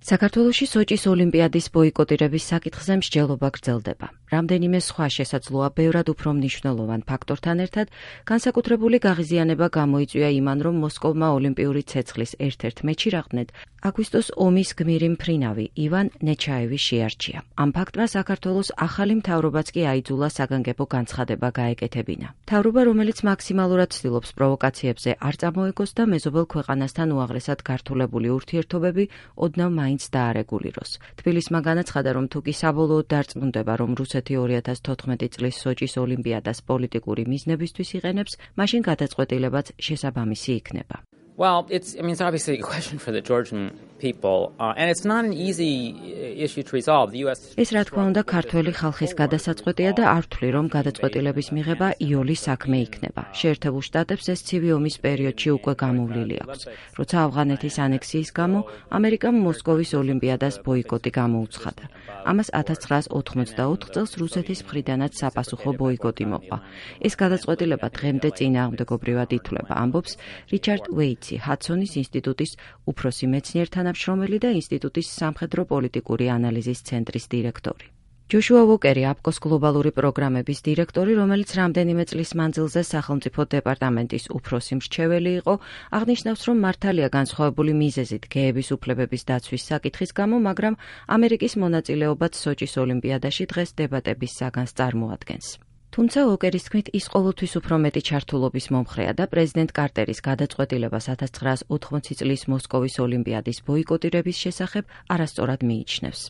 საქართველოში სოჭის ოლიმპიადის ბოიკოტირების საკითხზე მსჯელობა გრძელდება. რამდენიმე სხვა შესაძლოა ბევრად უფრო მნიშვნელოვან ფაქტორთან ერთად განსაკუთრებული გაღიზიანება გამოიწვია იმან, რომ მოსკოვმა ოლიმპიური ცეცხლის ერთ-ერთ მეჩი რაღდნედ აგვისტოს ომის გმირი მფრინავი ივან ნეჩაევი შეარჩია. ამ ფაქტმა საქართველოს ახალი მთავრობაც კი აიძულა საგანგებო განცხადება გაეკეთებინა. მთავრობა, რომელიც მაქსიმალურად ცდილობს პროვოკაციებზე არ წამოეგოს და მეზობელ ქვეყანასთან უაღრესად გართულებული ურთიერთობები ოდნავ მაინც დაარეგულიროს. თბილისმა განაცხადა, რომ თუ კი საბოლოოდ დარწმუნდება, რომ რუსეთი 2014 წლის სოჭის ოლიმპიადას პოლიტიკური მიზნებისთვის იყენებს, მაშინ გადაწყვეტილებაც შესაბამისი იქნება. Well, it's obviously a question for the Georgian people, and it's not an easy issue to resolve. The US ეს რა თქმა უნდა ქართველი ხალხის გადასაწყვეტია და არ ვთვლი, რომ გადაწყვეტილების მიღება იოლის საქმე იქნება. შეერთებულ შტატებს ეს ცივი ომის პერიოდში უკვე გამოვლილი აქვს. როცა ავღანეთის ანექსიის გამო ამერიკამ მოსკოვის ოლიმპიადას ბოიკოტი გამოუცხადა. ამას 1984 წელს რუსეთის მხრიდანაც საფასუხო ბოიკოტი მოყვა. ეს გადაწყვეტილება დღემდე წინააღმდეგობრივად ითვლება, ამბობს რიჩარდ ვეიტსი, ჰადსონის ინსტიტუტის უფროსი მეცნიერ თანამშრომელი და ინსტიტუტის სამხედრო პოლიტიკური ანალიზის ცენტრის დირექტორი. ჯოშუა ვოკერი, აპკოს გლობალური პროგრამების დირექტორი, რომელიც რამდენიმე წლის მანძილზე სახელმწიფო დეპარტამენტის უფროსი მრჩეველი იყო, აღნიშნავს, რომ მართალია განსხვავებული მიზეზით გეების უფლებების დაცვის საკითხის გამო, მაგრამ ამერიკის მონაწილეობაც სოჭის ოლიმპიადაში დღეს დებატების საგანს წარმოადგენს. თუმცა ვოკერის თქმით, ის ყოველთვის უფრო მეტი ჩართულობის მომხრეა და პრეზიდენტ კარტერის გადაწყვეტილებას 1980 წლის მოსკოვის ოლიმპიადის ბოიკოტირების შესახებ არასწორად მიიჩნევს.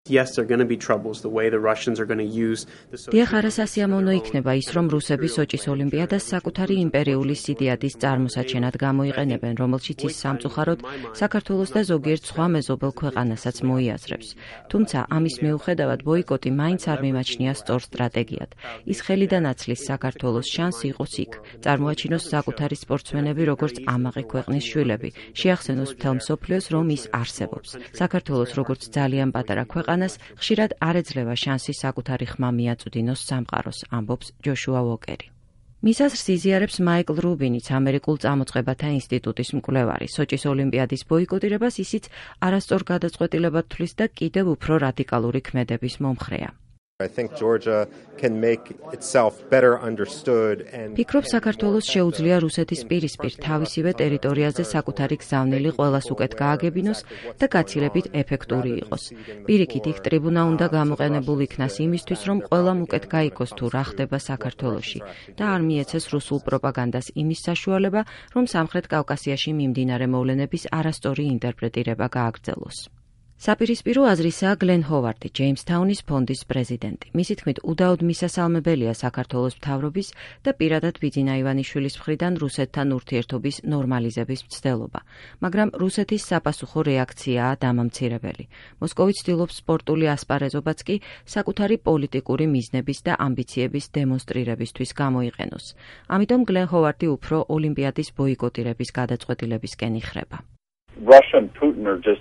Yes, there are going to be troubles the way the Russians are going to use the დიახ, არასასიამოვნო იქნება ის, რომ რუსები სოჭის ოლიმპიადას საკუთარი იმპერიული სიდიადის წარმოსაჩენად გამოიყენებენ, რომელშიც ის სამწუხაროდ საქართველოს და ზოგიერთ სხვა მეზობელ ქვეყანასაც მოიაზრებს. თუმცა ამის მიუხედავად ბოიკოტი მაინც არ მიმაჩნია სწორ სტრატეგიად. ის ხელიდან აცლის საქართველოს შანსი იყოს იქ, წარმოაჩინოს საკუთარი სპორტსმენები როგორც ამაყი ქვეყნის შვილები, შეახსენოს მთელ მსოფლიოს, რომ ის არსებობს. საქართველოს როგორც ძალიან პატარა ქვეყანას ხშირად არ ეძლევა შანსი საკუთარი ხმა მიაწვდინოს სამყაროს, ამბობს ჯოშუა ვოკერი. მის აზრს იზიარებს მაიკლ რუბინიც, ამერიკულ წამოწყებათა ინსტიტუტის მკვლევარი. სოჭის ოლიმპიადის ბოიკოტირებას ისიც არასწორ გადაწყვეტილებად თვლის და კიდევ უფრო რადიკალური ქმედების მომხრეა. I think Georgia can make itself better understood and ფიქრობ საქართველოს შეუძლია რუსეთის პირისპირ თავისივე ტერიტორიაზე საკუთარი გზავნილი ყველას უკეთ გააგებინოს და გაცილებით ეფექტური იყოს. პირიქით იქ ტრიბუნა უნდა გამოყენებულ იქნას იმისთვის, რომ ყველამ უკეთ გაიგოს თუ რა ხდება საქართველოში და არ მიეცეს რუსულ პროპაგანდას იმის საშუალება, რომ სამხრეთ კავკასიაში მიმდინარე მოვლენების არასწორი ინტერპრეტირება გააგრძელოს. საპირისპირო აზრისაა გლენ ჰოვარდი, ჯეიმსთაუნის ფონდის პრეზიდენტი. მისი თქმით, უდაოდ მისასალმებელია საქართველოს მთავრობის და პირადად ბიძინა ივანიშვილის მხრიდან რუსეთთან ურთიერთობის ნორმალიზების მცდელობა, მაგრამ რუსეთის საფასუხო რეაქციაა დამამცირებელი. მოსკოვი ცდილობს სპორტული ასპარეზობაც კი საკუთარი პოლიტიკური მიზნების და ამბიციების დემონსტრირებისთვის გამოიყენოს. ამიტომ გლენ ჰოვარდი უფრო ოლიმპიადის ბოიკოტირების გადაწყვეტილებისკენ იხრება. Russia and Putin are just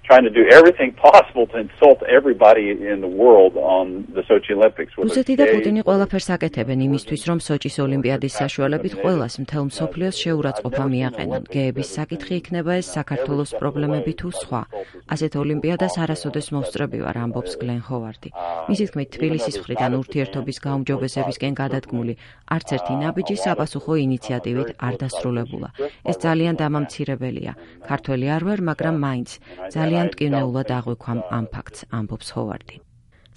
trying to do everything possible to insult everybody in the world on the Sochi Olympics. რუსეთი და პუტინი ყველაფერს აკეთებენ იმისთვის, რომ სოჭის ოლიმპიადის საშუალებით ყველას მთელ მსოფლიოს შეურაცხყოფა მიაყენონ. გეების საკითხი იქნება ეს საქართველოს პრობლემები თუ სხვა. ასეთ ოლიმპიადას არასოდეს მოვსწრები ვარ, ამბობს გლენ ჰოვარდი. მისი თქმით, თბილისის მხრიდან ურთიერთობის გაუმჯობესებისკენ გადადგმული არც ერთი ნაბიჯი საპასუხო ინიციატივით არ დასრულებულა. ეს ძალიან დამამცირებელია. ქართველი არ ვარ, მაგრამ მაინც ძალიან მტკივნეულად აღვიქვამ ამ ფაქტს, ამბობს ჰოვარდი.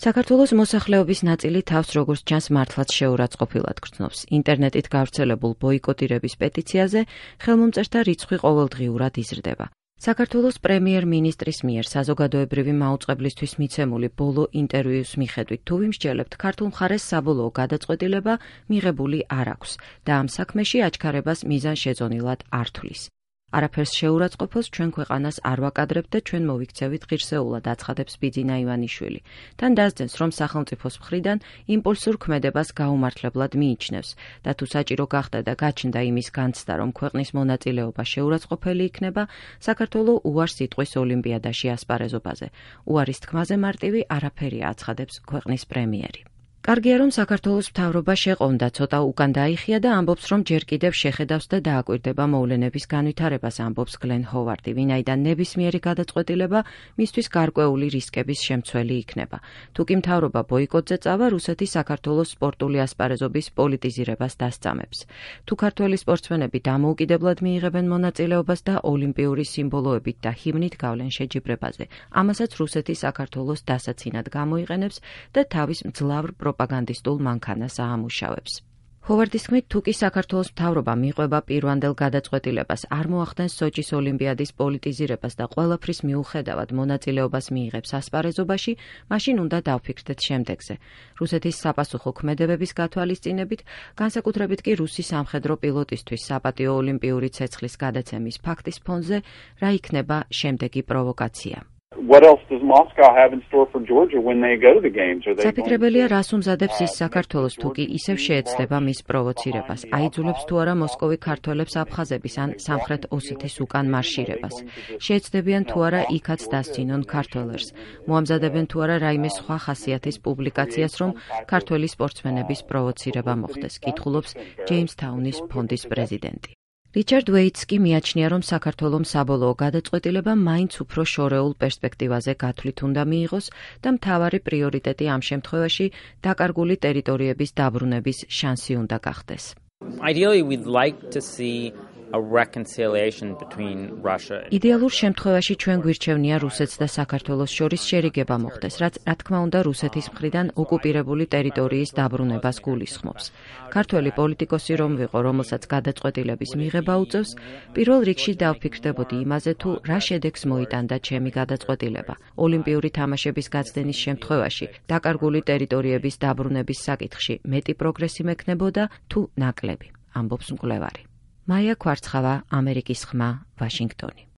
საქართველოს მოსახლეობის ნაწილი თავს როგორც ჩანს მართლაც შეურაცხყოფილად გრძნობს. ინტერნეტით გავრცელებულ ბოიკოტირების პეტიციაზე ხელმომწერთა რიცხვი ყოველდღიურად იზრდება. საქართველოს პრემიერ-მინისტრის მიერ საზოგადოებრივი მაუწყებლისთვის მიცემული ბოლო ინტერვიუს მიხედვით, თუ ვიმსჯელებთ, ქართულ მხარეს საბოლოო გადაწყვეტილება მიღებული არ აქვს და ამ საქმეში აჩქარებას მიზანშეწონილად არ თვლის. არაფერს შეურაცხყოფილს ჩვენ ქვეყანას არ ვაკადრებთ და ჩვენ მოვიქცევით ღირსეულად, აცხადებს ბიძინა ივანიშვილი. თან დასძენს, რომ სახელმწიფოს მხრიდან იმპულსურ ქმედებას გაუმართლებლად მიიჩნევს და თუ საჭირო გახდა და გაჩნდა იმის განცდა, რომ ქვეყნის მონაწილეობა შეურაცხყოფელი იქნება, საქართველო უარს იტყვის ოლიმპიადაში ასპარეზობაზე. უარის თქმაზე მარტივი არაფერია, აცხადებს ქვეყნის პრემიერი. კარგია, რომ საქართველოს მთავრობა შეყონდა, ცოტა უკან დაიხია და ამბობს, რომ ჯერ კიდევ შეხედავს და დააკვირდება მოვლენების განვითარებას, ამბობს გლენ ჰოვარდი, ვინაიდან ნებისმიერი გადაწყვეტილება მისთვის გარკვეული რისკების შემცველი იქნება. თუკი მთავრობა ბოიკოტზე წავა, რუსეთი საქართველოს სპორტული ასპარეზობის პოლიტიზირებას დასწამებს. თუ ქართველი სპორტსმენები დამოუკიდებლად მიიღებენ მონაწილეობას და ოლიმპიური სიმბოლოებით და ჰიმნით გავლენ შეჯიბრებაზე, ამასაც რუსეთი საქართველოს დასაცინად გამოიყენებს და თავის მძლავრ პროპაგანდისტულ მანქანას აამუშავებს. ჰოვარდის თქმით, თუკი საქართველოს მთავრობა მიყვება პირვანდელ გადაწყვეტილებას, არ მოახდენს სოჭის ოლიმპიადის პოლიტიზირებას და ყველაფრის მიუხედავად მონაწილეობას მიიღებს ასპარეზობაში, მაშინ უნდა დავფიქრდეთ შემდეგზე. რუსეთის საპასუხო ქმედებების გათვალისწინებით, განსაკუთრებით კი რუსი სამხედრო პილოტისთვის საპატიო ოლიმპიური ცეცხლის გადაცემის ფაქტის ფონზე, რა იქნება შემდეგი პროვოკაცია. What else does Moscow have in store for Georgia when they go to the games? Are they საფიქრებელია, რას უმზადებს ის საქართველოს, თუ კი ისევ შეეცდება მის პროვოცირებას. აიძულებს თუ არა მოსკოვი ქართველებს აფხაზების ან სამხრეთ ოსეთის უკან მარშირებას. შეეცდებიან თუ არა იქაც დასცინონ ქართველებს. მოამზადებენ თუ არა რაიმე სხვა ხასიათის პუბლიკაციას, რომ ქართველი სპორტსმენების პროვოცირება მოხდეს, კითხულობს ჯეიმსთაუნის ფონდის პრეზიდენტი. რიჩარდ ვეიტს კი მიაჩნია, რომ საქართველომ საბოლოო გადაწყვეტილება მაინც უფრო შორეულ პერსპექტივაზე გათვლით უნდა მიიღოს და მთავარი პრიორიტეტი ამ შემთხვევაში დაკარგული ტერიტორიების დაბრუნების შანსი უნდა გახდეს. Ideally, we'd like to see a reconciliation between Russia and იდეალურ შემთხვევაში ჩვენ გვირჩევნია რუსეთს და საქართველოს შორის შერიგება მოხდეს, რაც რა თქმა უნდა რუსეთის მხრიდან ოკუპირებული ტერიტორიის დაბრუნებას გულისხმობს. ქართველი პოლიტიკოსი რომ ვიყო, რომელსაც გადაწყვეტილების მიღება უწევს, პირველ რიგში დავფიქრდებოდი იმაზე, თუ რა შედეგს მოიტანდა ჩემი გადაწყვეტილება. ოლიმპიური თამაშების გაცდენის შემთხვევაში დაკარგული ტერიტორიების დაბრუნების საკითხში მეტი პროგრესი მექნებოდა თუ ნაკლები, ამბობს მკვლევარი. მაია ქვარცხავა, ამერიკის ხმა, ვაშინგტონი.